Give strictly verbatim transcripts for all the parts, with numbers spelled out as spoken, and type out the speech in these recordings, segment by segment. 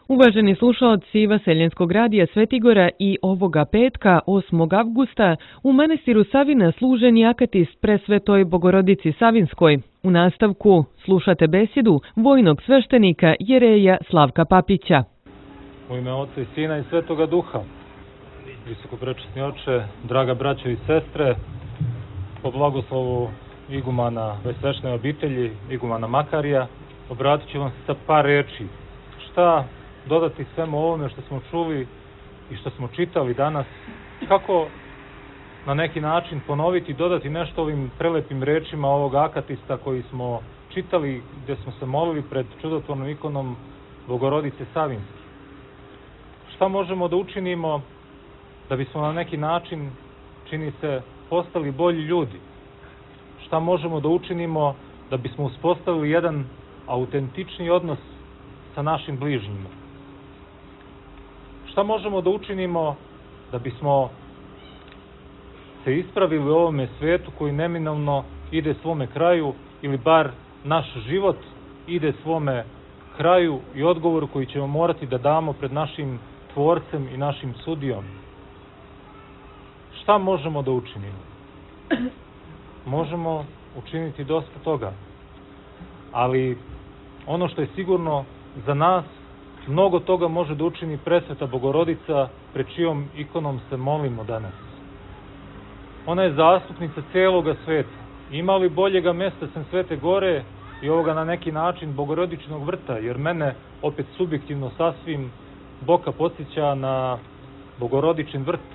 Uvaženi slušaoci Vaseljenskog radija Svetigora i ovoga petka, osmog avgusta, u manastiru Savina služen je akatist presvetoj Bogorodici Savinskoj. U nastavku slušate besjedu vojnog sveštenika Jereja Slavka Papića. U ime Oca i Sina i Svetoga Duha, visokoprečasni oče, draga braćo i sestre, po blagoslovu igumana sveštene obitelji, igumana Makarija, obratit ću vam se sa par reči. Šta dodati svemu ovome što smo čuli i što smo čitali danas, kako na neki način ponoviti i dodati nešto ovim prelepim rečima ovog akatista koji smo čitali, gdje smo se molili pred čudotvornom ikonom Bogorodice Savinske. Šta možemo da učinimo da bismo na neki način, čini se, postali bolji ljudi? Šta možemo da učinimo da bismo uspostavili jedan autentični odnos sa našim bližnjima? Šta možemo da učinimo da bismo se ispravili u ovome svetu koji neminovno ide svome kraju, ili bar naš život ide svome kraju i odgovoru koji ćemo morati da damo pred našim Tvorcem i našim sudijom? Šta možemo da učinimo? Možemo učiniti dosta toga, ali ono što je sigurno za nas, mnogo toga može da učini presveta Bogorodica, pred čijom ikonom se molimo danas. Ona je zastupnica celoga sveta. Ima li boljega mesta sem Svete Gore i ovoga na neki način Bogorodičinog vrta, jer mene opet subjektivno sasvim Boka podsjeća na Bogorodičin vrt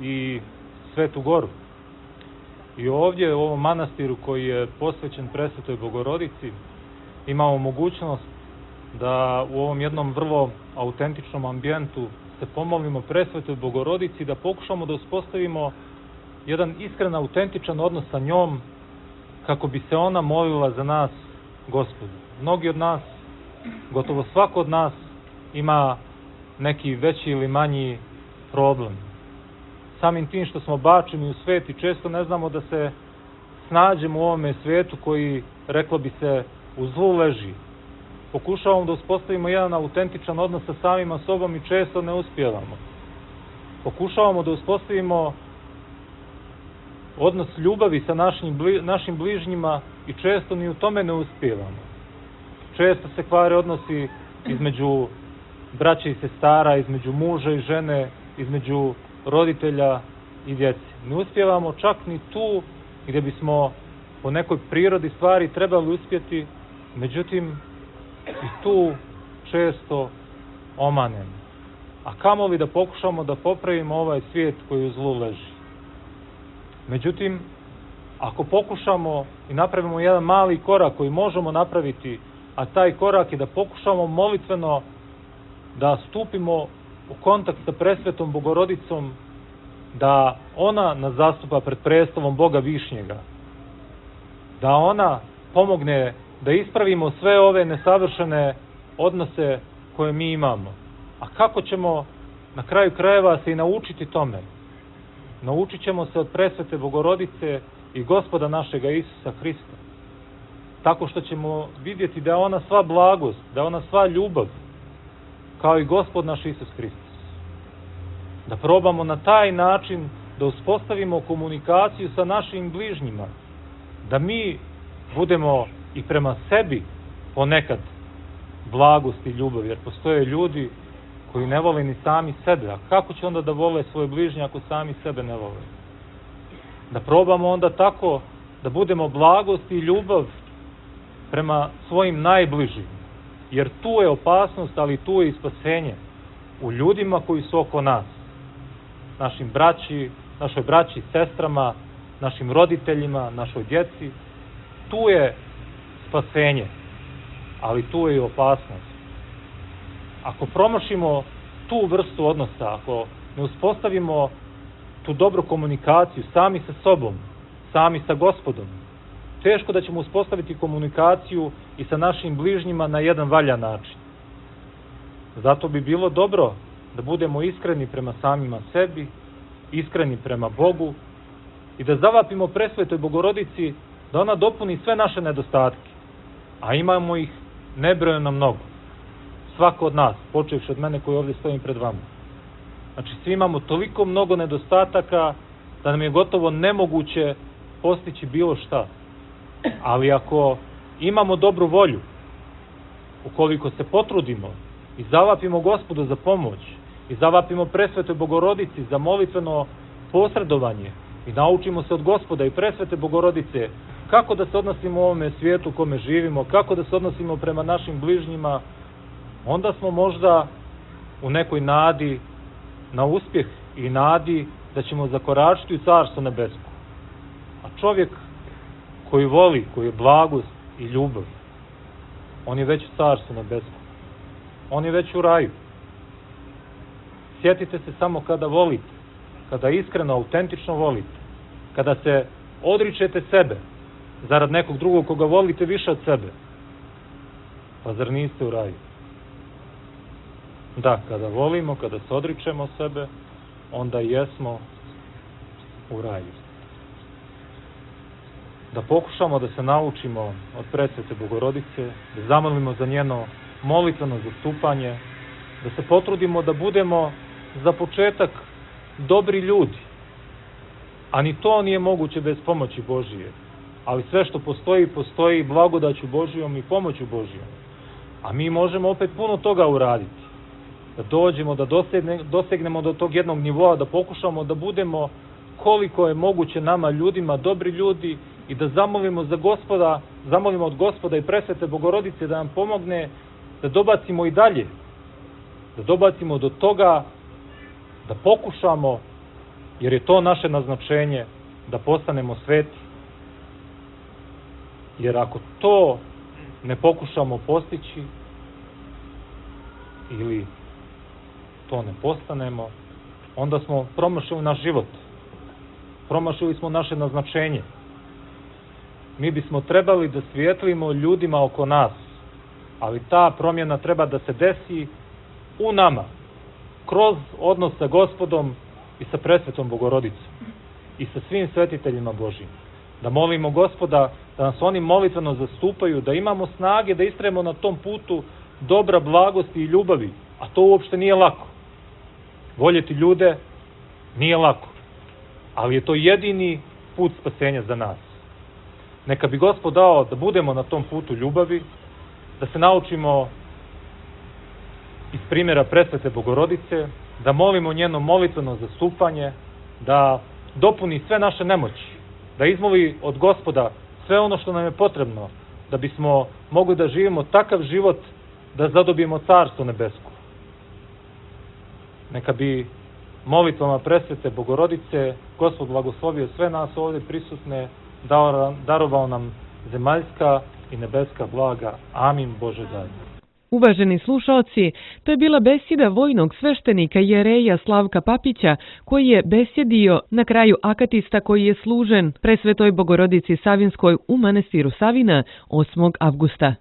i Svetu Goru. I ovdje u ovom manastiru koji je posvećen presvetoj Bogorodici imamo mogućnost da u ovom jednom vrlo autentičnom ambijentu se pomolimo presvetoj Bogorodici, da pokušamo da uspostavimo jedan iskren, autentičan odnos sa njom, kako bi se ona molila za nas Gospodu. Mnogi od nas, gotovo svako od nas, ima neki veći ili manji problem. Samim tim što smo bačeni u svet i često ne znamo da se snađemo u ovome svetu koji, reklo bi se, u zlu leži. Pokušavamo da uspostavimo jedan autentičan odnos sa samima sobom i često ne uspijevamo. Pokušavamo da uspostavimo odnos ljubavi sa našim, našim bližnjima i često ni u tome ne uspijevamo. Često se kvare odnosi između braće i sestara, između muža i žene, između roditelja i djece. Ne uspijevamo čak ni tu gdje bismo po nekoj prirodi stvari trebali uspjeti, međutim i tu često omanemo. A kamoli da pokušamo da popravimo ovaj svijet koji u zlu leži. Međutim, ako pokušamo i napravimo jedan mali korak koji možemo napraviti, a taj korak je da pokušamo molitveno da stupimo u kontakt sa presvetom Bogorodicom, da ona nas zastupa pred prestolom Boga Višnjega, da ona pomogne da ispravimo sve ove nesavršene odnose koje mi imamo. A kako ćemo na kraju krajeva se i naučiti tome? Naučit ćemo se od presvete Bogorodice i Gospoda našega Isusa Hrista. Tako što ćemo vidjeti da je ona sva blagost, da je ona sva ljubav, kao i Gospod naš Isus Hristos. Da probamo na taj način da uspostavimo komunikaciju sa našim bližnjima, da mi budemo i prema sebi ponekad blagost i ljubav, jer postoje ljudi koji ne vole ni sami sebe. A kako će onda da vole svoje bližnje ako sami sebe ne vole? Da probamo onda tako da budemo blagost i ljubav prema svojim najbližim, jer tu je opasnost, ali tu je i spasenje u ljudima koji su oko nas, našim braći, našoj braći i sestrama, našim roditeljima, našoj djeci. Tu je spasenje, ali tu je i opasnost. Ako promašimo tu vrstu odnosa, ako ne uspostavimo tu dobru komunikaciju sami sa sobom, sami sa Gospodom, teško da ćemo uspostaviti komunikaciju i sa našim bližnjima na jedan valjan način. Zato bi bilo dobro da budemo iskreni prema samima sebi, iskreni prema Bogu i da zavapimo presvetoj Bogorodici da ona dopuni sve naše nedostatke, a imamo ih nebrojeno mnogo. svako od nas, počevši od mene koji ovdje stojim pred vama. Znači, svi imamo toliko mnogo nedostataka da nam je gotovo nemoguće postići bilo šta. Ali ako imamo dobru volju, ukoliko se potrudimo i zavapimo Gospodu za pomoć i zavapimo Presvetoj Bogorodici za molitveno posredovanje i naučimo se od Gospoda i Presvete Bogorodice kako da se odnosimo u ovome svijetu u kome živimo, kako da se odnosimo prema našim bližnjima, onda smo možda u nekoj nadi na uspjeh i nadi da ćemo zakoračiti u Carstvo nebesko. A čovjek koji voli, koji je blagost i ljubav, on je već u Carstvu nebeskom. On je već u raju. Sjetite se samo kada volite, kada iskreno, autentično volite, kada se odričete sebe zarad nekog drugog koga volite više od sebe. Pa zar niste u raju? Da, kada volimo, kada se odričemo sebe, onda jesmo u raju. Da pokušamo da se naučimo od Presvete Bogorodice, da zamolimo za njeno molitveno zastupanje, da se potrudimo da budemo za početak dobri ljudi. A ni to nije moguće bez pomoći Božije. Ali sve što postoji, postoji blagodaću Božijom i pomoću Božijom. A mi možemo opet puno toga uraditi. Da dođemo, da dosegne, dosegnemo do tog jednog nivoa, da pokušamo da budemo koliko je moguće nama ljudima, dobri ljudi, i da zamolimo za Gospoda, zamolimo od Gospoda i Presvete Bogorodice da nam pomogne da dobacimo i dalje, da dobacimo do toga, da pokušamo, jer je to naše naznačenje, da postanemo sveti. Jer ako to ne pokušamo postići ili to ne postanemo, onda smo promašili naš život. Promašili smo naše naznačenje. Mi bismo trebali da svijetlimo ljudima oko nas, ali ta promjena treba da se desi u nama, kroz odnos sa Gospodom i sa Presvetom Bogorodicom i sa svim svetiteljima Božjim. Da molimo Gospoda da nas oni molitveno zastupaju, da imamo snage da istrajemo na tom putu dobra, blagosti i ljubavi, a to uopšte nije lako. Voljeti ljude nije lako, ali je to jedini put spasenja za nas. Neka bi Gospod dao da budemo na tom putu ljubavi, da se naučimo iz primjera Presvete Bogorodice, da molimo njeno molitveno zastupanje, da dopuni sve naše nemoći, da izmoli od Gospoda sve ono što nam je potrebno, da bismo mogli da živimo takav život da zadobijemo Carstvo nebesko. Neka bi molitvama Presvete Bogorodice Gospod blagoslovio sve nas ovdje prisutne, darovao nam zemaljska i nebeska blaga. Amin, Bože daj. Uvaženi slušaoci, to je bila besjeda vojnog sveštenika jereja Slavka Papića, koji je besjedio na kraju akatista koji je služen Presvetoj Bogorodici Savinskoj u manastiru Savina osmog avgusta.